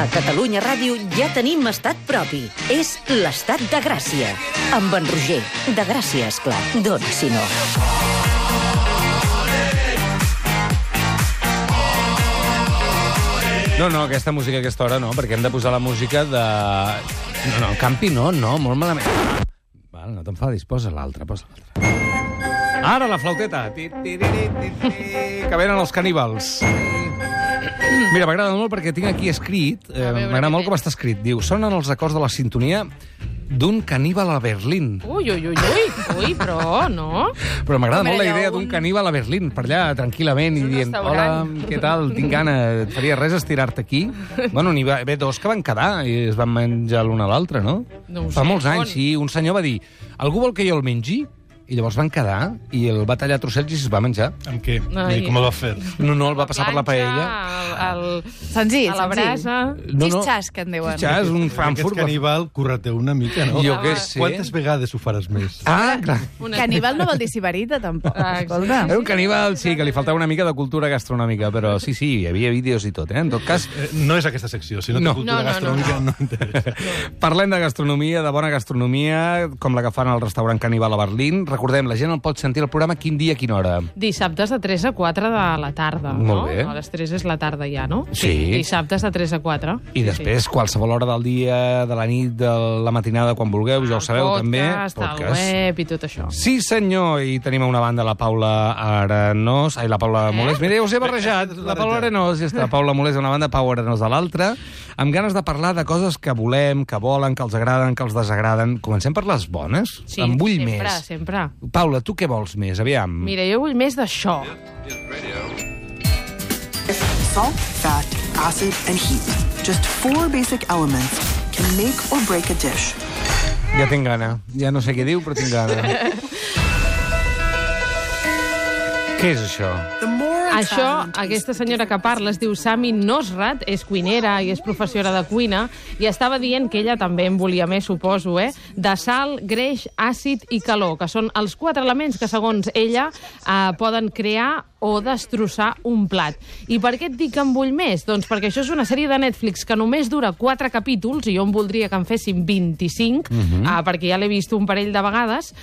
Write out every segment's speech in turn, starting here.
A Catalunya Ràdio ja tenim estat propi. És l'Estat de Gràcia. Amb en Roger. De Gràcia, esclar. D'on, si no? No, aquesta música a aquesta hora no, perquè hem de posar la música de... No, Campi no, molt malament. Val, no t'enfadis, posa l'altra. Ara la flauteta. Que venen els caníbals. Mira, m'agrada molt perquè tinc aquí escrit, m'agrada molt com està escrit, diu, sonen els acords de la sintonia d'un caníbal a Berlín. Ui, però no. Però m'agrada molt la idea d'un caníbal a Berlín, per allà, tranquil·lament, i dient, hola, què tal, tinc gana, et faria res estirar-te aquí? Bueno, n'hi va haver dos que van quedar i es van menjar l'un a l'altre, no? Fa molts anys, sí, un senyor va dir, algú vol que jo el mengi? I llavors van quedar i el va tallar a trossets i es va menjar. Amb què? I com el va fer? No, el va passar per la paella. Senzill, a la brasa. Xitxàs, que en diuen. Xitxàs, un Frankfurt. Aquest caníbal, curra-te una mica, no? Jo què sé. Quantes vegades ho faràs més? Ah, clar. Caníbal no vol dir sibarita, tampoc. Escolta. Era un caníbal, sí, que li faltava una mica de cultura gastronòmica, però sí, hi havia vídeos i tot, En tot cas... No és aquesta secció, si no té cultura gastronòmica no interessa. Parlem de gastronomia, de bona gastronomia, com la que fan al restaurant Caníbal a Berlín. Recordem, la gent el pot sentir al programa quin dia, a quina hora? Dissabtes de 3 a 4 de la tarda, no? Molt bé. A les 3 és la tarda ja, no? Sí. Dissabtes de 3 a 4. I després, qualsevol hora del dia, de la nit, de la matinada, quan vulgueu, ja ho sabeu, també. Podcast, el web i tot això. Sí, senyor, i tenim a una banda la Paula Arenós, la Paula Molés. Mira, us he barrejat, la Paula Arenós, ja està, Paula Molés a una banda, Pau Arenós a l'altra, amb ganes de parlar de coses que volem, que volen, que els agraden, que els desagraden. Comencem per les bones? Sí, en vull sempre, més. sempre. Paula, tu què vols més? Aviam. Mira, jo vull més d'això. Salt, fat, acid, and heat. Just 4 basic elements can make or break a dish. Ja tinc gana. Ja no sé què diu, però tinc gana. Què és això? Això, aquesta senyora que parla es diu Sami Nosrat, és cuinera i és professora de cuina, i estava dient que ella també en volia més, suposo, de sal, greix, àcid i calor, que són els 4 elements que, segons ella, poden crear o destrossar un plat. I per què et dic que en vull més? Doncs perquè això és una sèrie de Netflix que només dura 4 capítols, i jo em voldria que en fessin 25, perquè ja l'he vist un parell de vegades,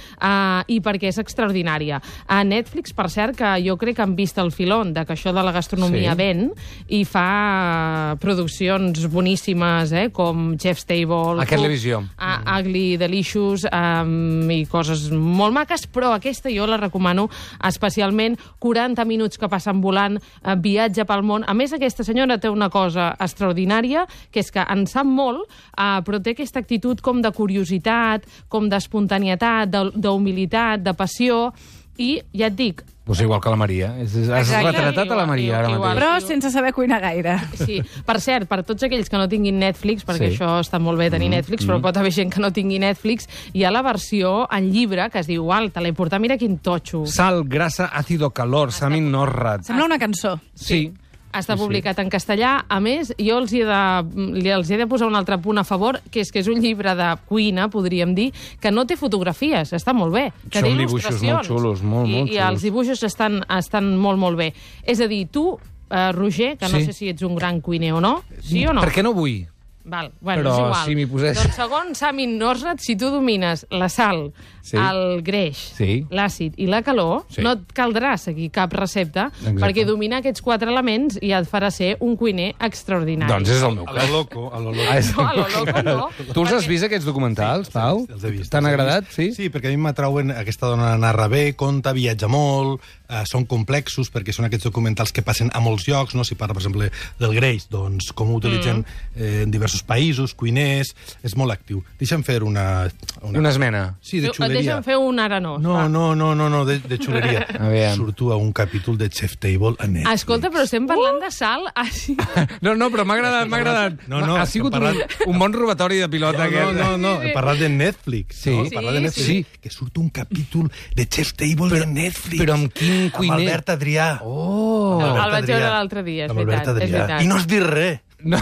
i perquè és extraordinària. A Netflix, per cert, que jo crec que han vist el filó de que això de la gastronomia ven, i fa produccions boníssimes, com Chef's Table, a televisió, Ugly Delicious, i coses molt maques, però aquesta jo la recomano especialment. 40 minuts que passen volant, viatge pel món. A més, aquesta senyora té una cosa extraordinària, que és que en sap molt, però té aquesta actitud com de curiositat, com d'espontanietat, d'humilitat, de passió, i ja et dic... Pues igual que la Maria. Has retratat a la Maria ara mateix. Però sense saber cuinar gaire. Sí. Per cert, per tots aquells que no tinguin Netflix, perquè això està molt bé tenir Netflix, però pot haver gent que no tingui Netflix, hi ha la versió en llibre que es diu, te l'he portat, mira quin totxo. Sal, grasa, àcido, calor, Sami Nosrat. Sembla una cançó. Sí. Està publicat en castellà. A més, jo els he de posar un altre punt a favor, que és un llibre de cuina, podríem dir, que no té fotografies, està molt bé. Que són dibuixos molt xulos, molt xulos. I els dibuixos estan molt, molt bé. És a dir, tu, Roger, que no sé si ets un gran cuiner o no, sí o no? Per què no vull? Bueno, però és igual. Si m'hi posés... Doncs segons Sami Nosrat, si tu domines la sal, el greix, l'àcid i la calor, no et caldrà seguir cap recepta, perquè dominar aquests 4 elements ja et farà ser un cuiner extraordinari. Doncs és el meu cas. A lo loco. No, a lo loco no. Tu els has vist, aquests documentals, Pau? Els he vist. T'han agradat? Sí, perquè a mi m'atrauen, aquesta dona narra bé, conta, viatja molt, són complexos, perquè són aquests documentals que passen a molts llocs, no? Si parla, per exemple, del greix, doncs com ho utilitzen en diversos països, cuiners, és molt actiu. Deixa'm fer una esmena. Sí, de xuleria. Deixa'm fer un arenós. No, de xuleria. Surto a un capítol de Chef's Table a Netflix. Escolta, però estem parlant de sal... No, però m'ha agradat. Ha sigut un bon robatori de pilota. No, he parlat de Netflix. Sí. Que surt un capítol de Chef's Table de Netflix. Però amb quin cuiner? Amb Albert Adrià. El vaig veure l'altre dia, és veritat. I no has dit res. No,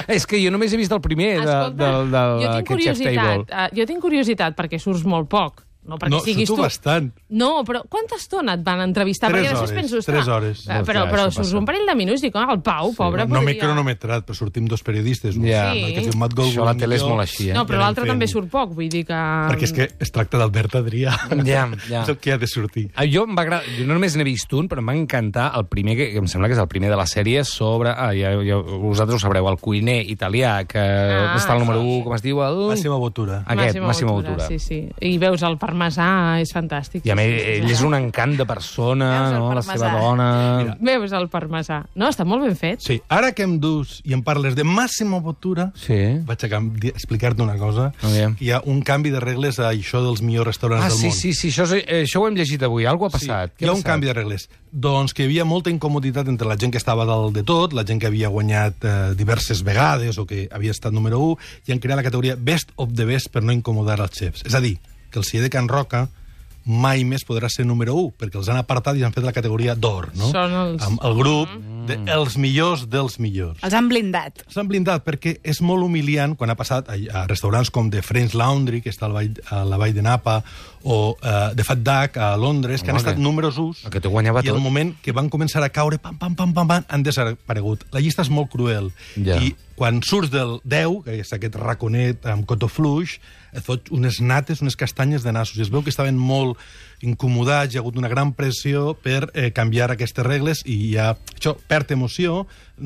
és que jo només he vist el primer d'aquest Chef's Table. Jo tinc curiositat, perquè surts molt poc. No, perquè siguis tu tu. bastant. No, però quanta estona et van entrevistar? 3 Perquè després hores, penso, 3 hores. Però surts un parell de minuts i dic, el Pau, pobre, No m'he podria... cronometrat, però sortim 2 periodistes. Ja. Sí. Que es diu Matt Goldwyn, Això a la tele és jo. molt així, No, però Ja l'altre anem també fent. surt poc, vull dir que... Perquè és que es tracta d'Albert Adrià. Ja. És el que ha de sortir. Jo no només n'he vist un, però em va encantar el primer, que em sembla que és el primer de la sèrie, sobre... vosaltres ho sabreu, el cuiner italià, que està al número 1, com es diu? Massimo Bottura. Aquest, Massimo Bottura. Sí, sí. I veus el parmesà, és fantàstic. I a més, ell és un encant de persona, Veus el no? La parmesà. seva dona... Veus el parmesà. No, està molt ben fet. Sí, ara que em dus i em parles de Massimo Bottura, Sí. vaig a explicar-te una cosa. Aviam. Hi ha un canvi de regles a això dels millors restaurants del Sí, món. sí, això ho hem llegit avui. Algo ha passat. Sí, hi ha un canvi de regles. Doncs que hi havia molta incomoditat entre la gent que estava dalt de tot, la gent que havia guanyat diverses vegades o que havia estat número 1, i han creat la categoria Best of the Best per no incomodar els xefs. És a dir, que el celler de Can Roca mai més podrà ser número 1, perquè els han apartat i han fet la categoria d'or, no? Són els... Amb el grup dels millors dels millors. Els han blindat. S'han blindat perquè és molt humiliant quan ha passat a restaurants com The French Laundry, que està a la vall de Napa, o The Fat Duck a Londres, que han estat números 1, que te guanyava i tot. el moment que van començar a caure, pam, han desaparegut. La llista és molt cruel. Ja. I quan surts del 10, que és aquest raconet amb cotó fluix, et fot unes nates, unes castanyes de nassos. I es veu que estaven molt incomodats, hi ha hagut una gran pressió per canviar aquestes regles i això perd emoció.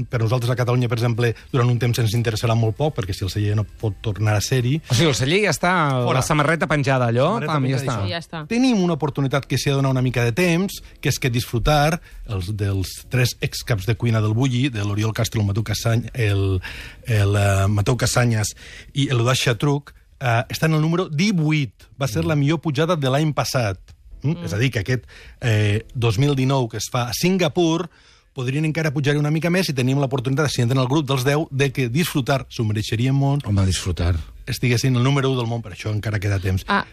Per nosaltres a Catalunya, per exemple, durant un temps ens interessarà molt poc, perquè si el celler no pot tornar a ser-hi... O sigui, el celler ja està, Fora. la samarreta penjada, allò, Samarreta pam, ja penjada, està. Sí, ja està. Tenim una oportunitat que s'hi ha de donar una mica de temps, que és que disfrutar dels 3 excaps de cuina del Bulli, de l'Oriol Castro, el Mateu Casanyes i l'Eudald Xatruc, està en el número 18. Va ser la millor pujada de l'any passat. És a dir, que aquest 2019 que es fa a Singapur podrien encara pujar una mica més i tenim l'oportunitat, si entren al grup dels 10, de que disfrutar s'ho mereixeria molt, Home, disfrutar. estiguessin el número 1 del món, per això encara queda temps. Ah,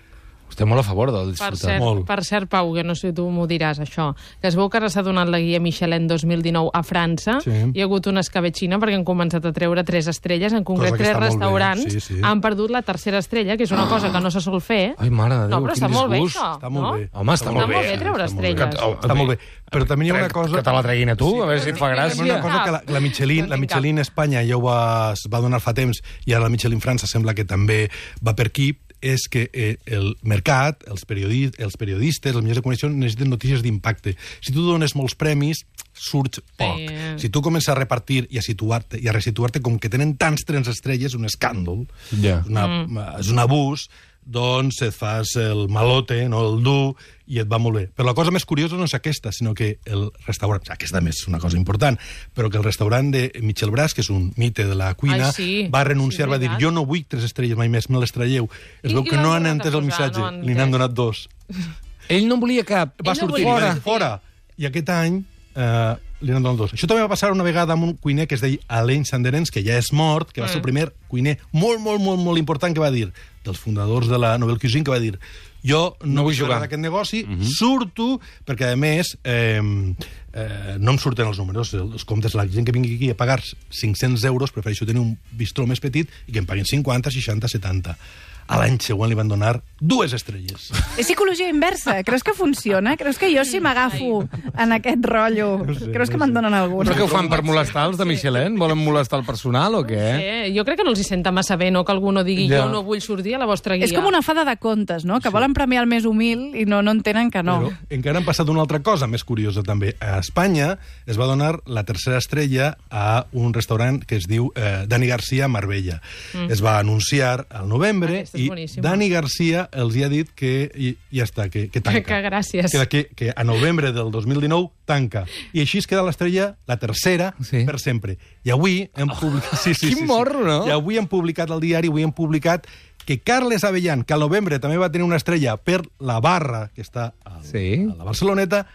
Estem molt a favor del per disfrutar. cert, Pau, que no sé, tu m'ho diràs, això, que es veu que ara s'ha donat la guia Michelin 2019 a França, Sí. hi ha hagut una escabetxina perquè han començat a treure 3 estrelles, en concret Cosa que 3 està molt bé, restaurants sí. han perdut la tercera estrella, que és una cosa que no se sol fer. Ai, mare de Déu, No, però quin està molt bé, disgust. això. Està molt no? bé. Home, està molt bé. treure Està molt bé. estrelles. Està molt bé. Però també hi ha una cosa... Que te la treguin a tu, a veure si et fa Hi ha gràcia. una cosa que la Michelin Espanya ja es va donar fa temps, i ara la Michelin França sembla que també va per aquí, és que el mercat, els periodistes, els mitjans de comunicació necessiten notícies d'impacte. Si tu dones molts premis, surts poc. Sí. Si tu comences a repartir i a situar-te i a resituar-te, com que tenen tants 3 estrelles, un escàndol, Ja. és un abús, doncs et fas el malote, no el dur, i et va molt bé. Però la cosa més curiosa no és aquesta, sinó que el restaurant, aquesta més és una cosa important, però que el restaurant de Michel Bras, que és un mite de la cuina, Ai, sí. va renunciar, Sí, va dir, veritat. jo no vull 3 estrelles mai més, me les traieu. Es veu I que l'han no han tornat a entès el posar, missatge, no han li n'han entès. donat 2. Ell no en volia cap. Va Ell no sortir, volia fora. I aquest any li n'han donat 2. Això també va passar una vegada amb un cuiner que es deia Alain Sanderens, que ja és mort, que va ser el primer cuiner molt important que va dir, dels fundadors de la Nouvelle Cuisine, que va dir, jo no vull jugar d'aquest negoci, surto, perquè a més no em surten els números, els comptes, la gent que vingui aquí a pagar 500 euros, prefereixo tenir un bistró més petit i que em paguin 50, 60, 70. A l'any següent li van donar 2 estrelles. És psicologia inversa. Creus que funciona? Creus que jo si m'agafo en aquest rotllo, creus que me'n donen alguna? Però què ho fan per molestar els de Michelin? Volen molestar el personal o què? Jo crec que no els hi senta massa bé, no?, que algú no digui Ja. jo no vull sortir a la vostra guia. És com una fada de contes, no? Que volen premiar el més humil i no entenen que no. Però encara han passat una altra cosa més curiosa, també. A Espanya es va donar la tercera estrella a un restaurant que es diu Dani Garcia Marbella. Es va anunciar al novembre Aquesta és i boníssima. Dani Garcia els hi ha dit que ja està, que tanca. Que gràcies. Que a novembre del 2019 tanca. I així es queda l'estrella, la tercera, Sí. per sempre. I avui hem publicat... Quin morro, no? I avui hem publicat al diari, avui hem publicat que Carles Avellán, que al novembre també va tenir una estrella per la barra, que està a Sí. la Barceloneta,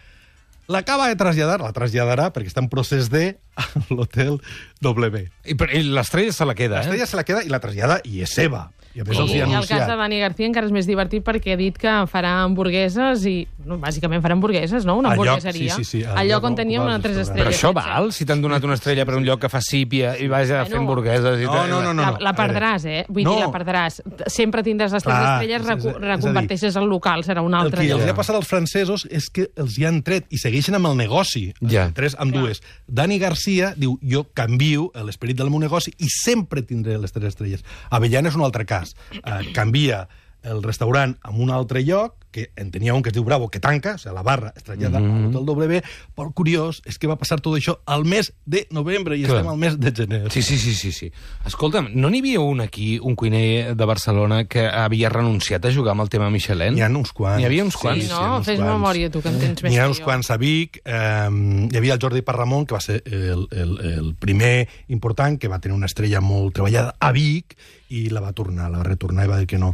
l'acaba de traslladar, la traslladarà, perquè està en procés de, a l'hotel W. I l'estrella se la queda, L'estrella se la queda i la trasllada i és seva. I a més els hi ha I el cas de anunciat. Dani García encara és més divertit perquè ha dit que farà hamburgueses i, bàsicament farà hamburgueses, no? Una Al lloc, hamburgueseria. sí, Al lloc on teníem una 3 estrelles. Però això val? Si t'han donat una estrella per un lloc que fa sípia i vas a fer hamburgueses i tal. No. La perdràs, Vull dir, la perdràs. Sempre tindràs les 3 estrelles, reconverteixes el local, serà un altre. El que lloc. els ha passat als francesos és que els hi han tret i segueixen amb el negoci. Ja. 3 amb 2. Dani García diu, jo canvio l'esperit del meu negoci i sempre tindré les 3 estrelles. Avellana és un altre cas. Canvia el restaurant a un altre lloc, que en tenia un que es diu Bravo, que tanca, o sigui, la barra es trasllada a l'Hotel W, però el curiós és que va passar tot això al mes de novembre i estem al mes de gener. Sí. Escolta'm, no n'hi havia un aquí, un cuiner de Barcelona, que havia renunciat a jugar amb el tema Michelin? N'hi ha uns quants. N'hi havia uns quants? Sí, no? Fes memòria, tu, que en tens més N'hi ha que uns jo. quants a Vic. Hi havia el Jordi Parramon, que va ser el primer important, que va tenir una estrella molt treballada a Vic, i la va retornar i va dir que no.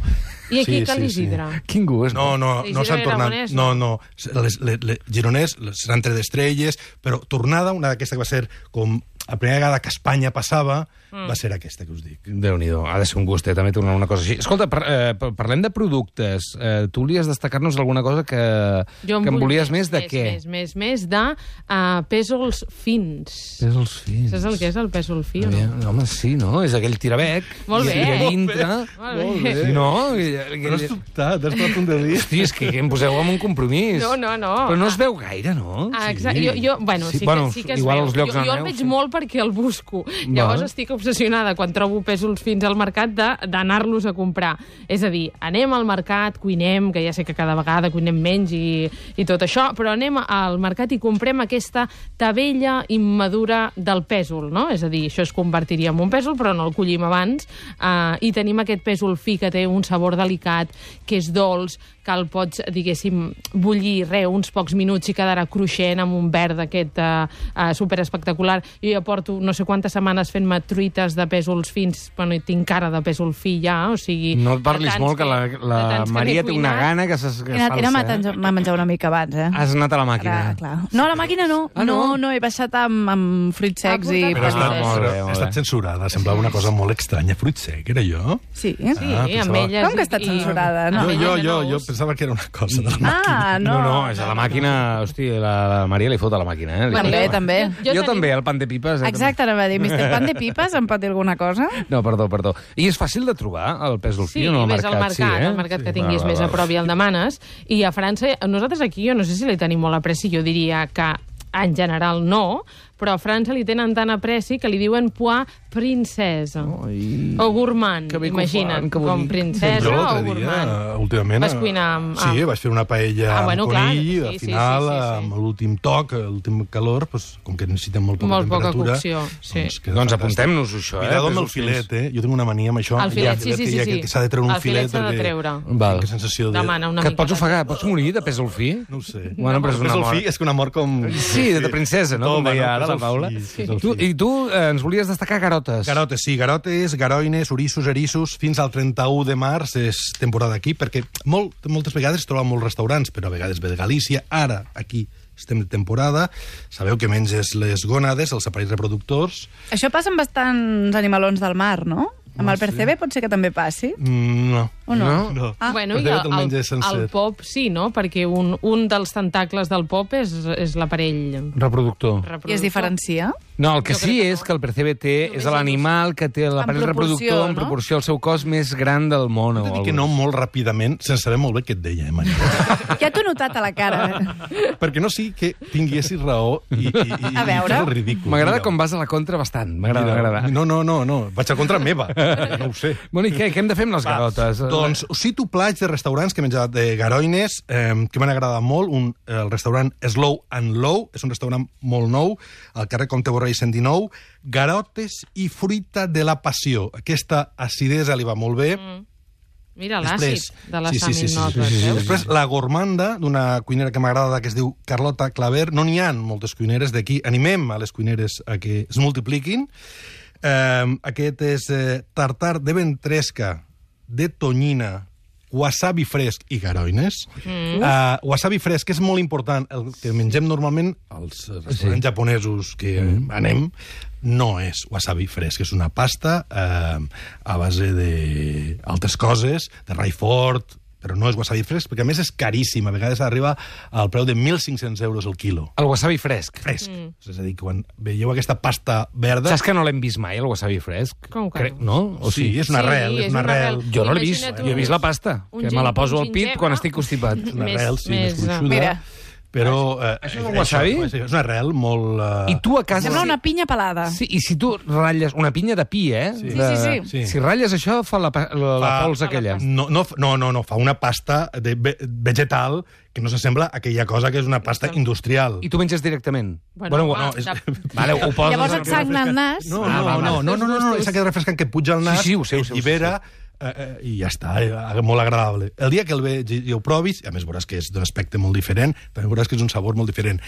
I aquí Cal Isidre? Quin gust. No s'han tornat. Aragonès, No. Les Gironès s'han tret d'estrelles, però tornada, una d'aquesta que va ser com la primera vegada que a Espanya passava, va ser aquesta que us dic. Déu-n'hi-do, ha de ser un gustet, també tornar una cosa així. Escolta, parlem de productes. Tu volies destacar-nos alguna cosa que em volies més de què? Més de pèsols fins. Pèsols fins. Saps el que és el pèsol fi o no? Home, sí, no? És aquell tirabec. Molt bé. I a dintre... Molt bé. Sí, no? Però has dubtat, has trobat un delit. Hosti, és que em poseu amb un compromís. No. Però no es veu gaire, no? Exacte. Bueno, sí que es igual veu. als llocs on Jo el aneu, veig sí. molt perquè el busco. Llavors estic obsessionada, quan trobo pèsols fins al mercat, d'anar-los a comprar. És a dir, anem al mercat, cuinem, que ja sé que cada vegada cuinem menys i tot això, però anem al mercat i comprem aquesta tabella immadura del pèsol, no? És a dir, això es convertiria en un pèsol, però no el collim abans, i tenim aquest pèsol fi que té un sabor delicat, que és dolç, que el pots, diguéssim, bullir uns pocs minuts i quedarà cruixent amb un verd d'aquest superespectacular. Jo ja porto no sé quantes setmanes fent-me truites de pèsols fins, bueno, i tinc cara de pèsol fi ja, o sigui... No et parlis molt, que la Maria té una gana que es falsa. He anat a menjar una mica abans, Has anat a la màquina. Clar. No, a la màquina no. No, he baixat amb fruits secs i... Però molt ha estat censurada, semblava una cosa molt estranya. Fruit sec, era jo? Sí. amb elles... Com que ha estat censurada? No? Jo pensava que era una cosa de la màquina. No, és a la màquina... Hosti, la Maria li fot a la màquina, També. Jo també, el pan de pipes. Exacte, anava a dir, Mr. Pan de Pipes, em pot dir alguna cosa? No, perdó. I és fàcil de trobar, el pèsol fi, o no, al mercat? Sí, al mercat que tinguis més a prop i el demanes. I a França, nosaltres aquí, jo no sé si li tenim molt apreci, jo diria que en general no, però a França li tenen tant apreci que li diuen pois princesa. O gourmand, imagina't, com princesa jo o l'altre dia, gourmand. últimament... Vas cuinar amb... Sí, vaig fer una paella amb conill, al final, sí. amb l'últim toc, l'últim calor, com que necessitem molt poca temperatura... cocció, sí. Doncs apuntem-nos això, Cuidado amb el filet, Jo tinc una mania amb això. El filet, sí. Que s'ha de treure un filet. El filet s'ha de treure. Val. Que sensació de... Demana una Que et mica. pots ofegar, pots morir de pèsol fi? No ho sé. Bueno, però és una Pèsol mort. fi és que una mort com... Sí, de princesa, no? Com deia ara la Paula. I tu ens volies destacar garotes. Garotes, sí. Garotes, garoines, orissos, erissos. Fins al 31 de març és temporada aquí, perquè moltes vegades es troben molts restaurants, però a vegades ve de Galícia. Ara, aquí, estem de temporada. Sabeu que menges les gònades, els aparells reproductors. Això passa amb bastants animalons del mar, no? Amb el percebe pot ser que també passi? No. O no? No. Bueno, i Percebe te'l menges sencer. el pop sí, no? Perquè un dels tentacles del pop és l'aparell Reproductor. I es diferencia? No, el que Jo crec sí que és no. que el percebe és l'animal que té l'aparell reproductor en no? proporció al seu cos més gran del món. T'he de dir que no molt ràpidament, sense saber molt bé què et deia, Maria. Ja t'ho he notat a la cara. Perquè no sigui que tinguessis raó i A veure. fes el ridícul. M'agrada Mira. com vas a la contra bastant. M'agrada. No. Vaig a contra meva. No ho sé. Bueno, i què hem de fer amb les garotes? Doncs us cito plats de restaurants que he menjat de garoines que m'han agradat molt. El restaurant Slow and Low, és un restaurant molt nou, al carrer Comte Borrell 119. Garotes i fruita de la passió. Aquesta acidesa li va molt bé. Mira, l'àcid de la saminota. Després, la gormanda, d'una cuinera que m'agrada, que es diu Carlota Claver. No n'hi ha moltes cuineres d'aquí. Animem a les cuineres a que es multipliquin. Aquest és tartar de ventresca, de tonyina wasabi fresc i garoines. Wasabi fresc, que és molt important, el que mengem normalment als restaurants japonesos que anem, no és wasabi fresc, és una pasta a base d'altres coses, de Raifort, però no és wasabi fresc, perquè a més és caríssim. A vegades arriba al preu de 1.500 euros el quilo. El wasabi fresc. Fresc. És a dir, quan veieu aquesta pasta verda... Saps que no l'hem vist mai, el wasabi fresc? Com que no? O Sí, és una arrel, és una arrel. Jo no l'he vist. Jo he vist la pasta, que me la poso al pit quan estic constipat. És una arrel, sí, més gruixuda. Mira. Però... Això és un wasabi? És una arrel molt... I tu a casa... Sembla una pinya pelada. Sí, i si tu ratlles una pinya de pi, Sí. Sí. Si ratlles això, fa la pols aquella. No, fa una pasta vegetal que no s'assembla a aquella cosa que és una pasta industrial. I tu menges directament? Bueno, Vale, ho poses... Llavors et sagna el nas. No, és aquest refrescant que et puja al nas, Sí, ho sé. allibera, i ja està, molt agradable. El dia que el veig i ho provis, a més veuràs que és d'un aspecte molt diferent, també veuràs que és un sabor molt diferent.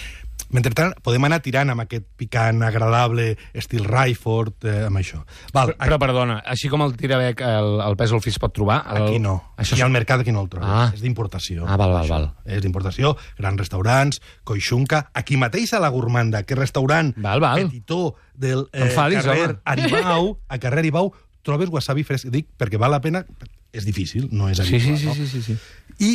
Mentrestant, podem anar tirant amb aquest picant agradable, estil Raifort, amb això. Val, Però, perdona, així com el tirabec, el pèsol fi es pot trobar? aquí no. Això Aquí al mercat aquí no el trobes. Ah. És d'importació. Val. És d'importació, grans restaurants, Koixunka, aquí mateix a la Gourmanda, que restaurant Val. petitó del Enfadis, carrer home. Aribau, a carrer Aribau, trobes wasabi fresc. Dic, perquè val la pena, és difícil, no és habitual. Sí. I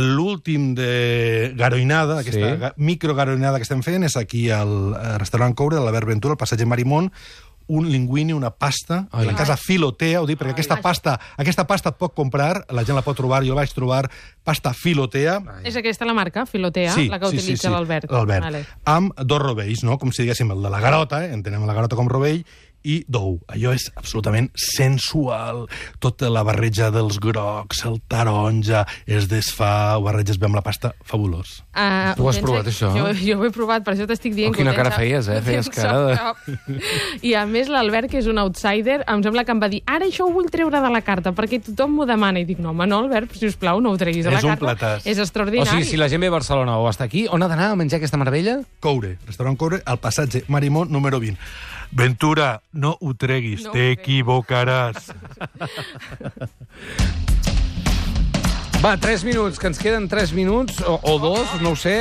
l'últim de garoinada, aquesta microgaroinada que estem fent, és aquí al restaurant Coure, de l'Albert Ventura, al passatge Marimón, un linguini, una pasta, de la casa Filotea, ho dic, perquè aquesta pasta et pot comprar, la gent la pot trobar, jo la vaig trobar, pasta Filotea. És aquesta la marca, Filotea, la que utilitza l'Albert. L'Albert. Amb dos rovells, no? Com si diguéssim el de la garota, entenem la garota com rovell, i d'ou. Allò és absolutament sensual. Tota la barreja dels grocs, el taronja, es desfà, ho barreges bé amb la pasta, fabulós. Tu has provat això? Jo ho he provat, per això t'estic dient quina cara feies, feies cara de... I a més l'Albert, que és un outsider, em sembla que em va dir, ara això ho vull treure de la carta, perquè tothom m'ho demana. I dic, no, home, no, Albert, sisplau, no ho treguis de la carta. És un platàs. És extraordinari. O sigui, si la gent ve a Barcelona o està aquí, on ha d'anar a menjar aquesta meravella? Coure, restaurant Coure, al passatge Marimón número 20. Ventura, no ho treguis, No ho t'equivocaràs. Va, 3 minuts, que ens queden 3 minuts, o 2, no ho sé.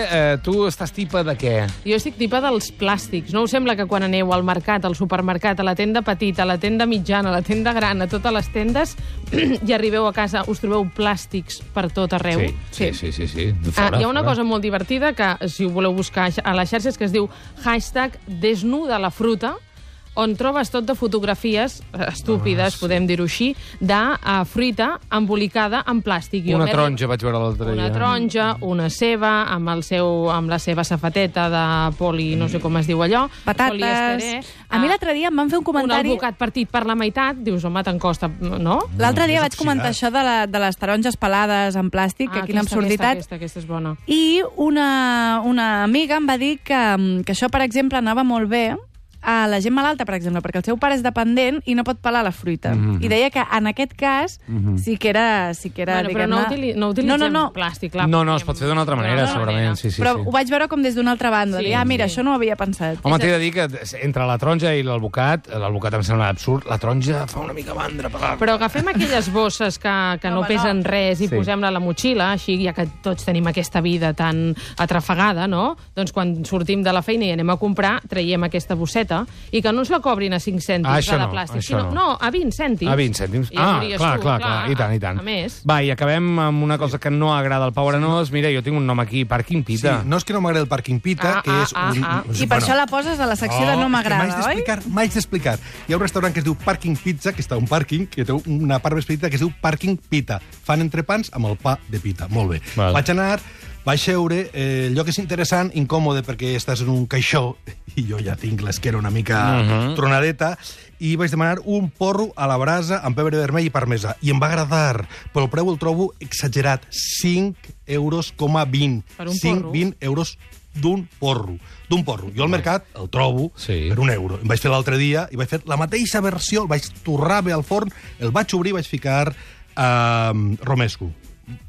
Tu estàs tipa de què? Jo estic tipa dels plàstics. No us sembla que quan aneu al mercat, al supermercat, a la tenda petita, a la tenda mitjana, a la tenda gran, a totes les tendes, i arribeu a casa, us trobeu plàstics per tot arreu? Sí. Hi ha una cosa molt divertida que, si ho voleu buscar a les xarxes, que es diu #desnuda la fruta, on trobes tot de fotografies estúpides, podem dir-ho així, de fruita embolicada en plàstic. Una taronja vaig veure l'altre dia. Una taronja, una ceba, amb la seva safateta de poli, no sé com es diu allò. Patates. Poliesterè. A mi l'altre dia em van fer un Un comentari... albocat partit per la meitat, dius, home, te'n costa, no? L'altre dia és vaig comentar això de les taronges pelades en plàstic, que quina absurditat. Aquesta és bona. I una amiga em va dir que això, per exemple, anava molt bé a la gent malalta, per exemple, perquè el seu pare és dependent i no pot pelar la fruita. I deia que en aquest cas sí que era Bueno, però no utilitzem plàstic. Clar, No, es pot fer d'una altra manera, segurament. Sí. Però ho vaig veure com des d'una altra banda. Sí, Mira, sí. això no ho havia pensat. Home, t'he de dir que entre la taronja i l'albocat em sembla absurd, la taronja fa una mica mandra. Però agafem aquelles bosses que no pesen res i posem-la a la motxilla, així, ja que tots tenim aquesta vida tan atrafegada, no? Doncs quan sortim de la feina i anem a comprar, traiem aquesta bosseta i que no ens la cobrin a 5 cèntims de plàstic, sinó a 20 cèntims. A 20 cèntims. Clar, i tant. A més. Va, i acabem amb una cosa que no agrada al Pau Arenós. Mira, jo tinc un nom aquí, Parking Pita. Sí, no és que no m'agrada el Parking Pita, que és un... I per això la poses a la secció de no m'agrada, oi? M'haig d'explicar. Hi ha un restaurant que es diu Parking Pizza, que està a un pàrquing, que té una part més petita que es diu Parking Pita. Fan entrepans amb el pa de pita. Molt bé. Val. Vaig anar, vaig seure, el lloc és interessant, incòmode, perquè estàs en un caixó, i jo ja tinc l'esquera una mica tronadeta, i vaig demanar un porro a la brasa amb pebre vermell i parmesa. I em va agradar, però el preu el trobo exagerat. 5,20 euros. Per un porro? 20 euros d'un porro. Jo al mercat el trobo per €1. Em vaig fer l'altre dia i vaig fer la mateixa versió, el vaig torrar bé al forn, el vaig obrir i vaig ficar romesco.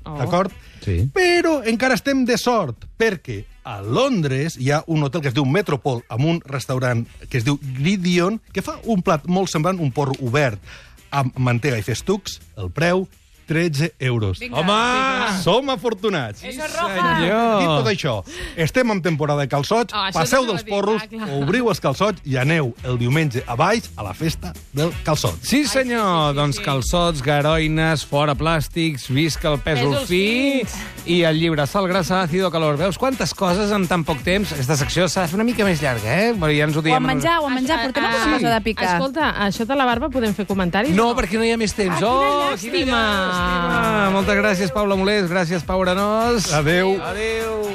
D'acord? Sí. Però encara estem de sort, perquè a Londres hi ha un hotel que es diu Metropol, amb un restaurant que es diu Gridion, que fa un plat molt semblant, un porro obert amb mantega i festucs, el preu 13 euros. Home! Som afortunats. Eso es roja. Senyor! Dit tot això, estem en temporada de calçots, Oh, això passeu t'anava dels a dir, porros, clar. obriu els calçots i aneu el diumenge a Baix a la festa del calçot. Sí, senyor. Doncs calçots, garoines, fora plàstics, visca el pèsol Pèsols fi fins. i el llibre Sal, grassa, àcido, calor. Veus quantes coses en tan poc temps? Aquesta secció s'ha de fer una mica més llarga, eh? Ja ens ho O diem. a menjar, portem alguna cosa de picar. Escolta, això de la barba podem fer comentaris? No, perquè no hi ha més temps. Ah, quina Quina llàstima. llàstima. Moltes gràcies, Paula Molés. Gràcies, Pau Arenós. Adéu. Adéu.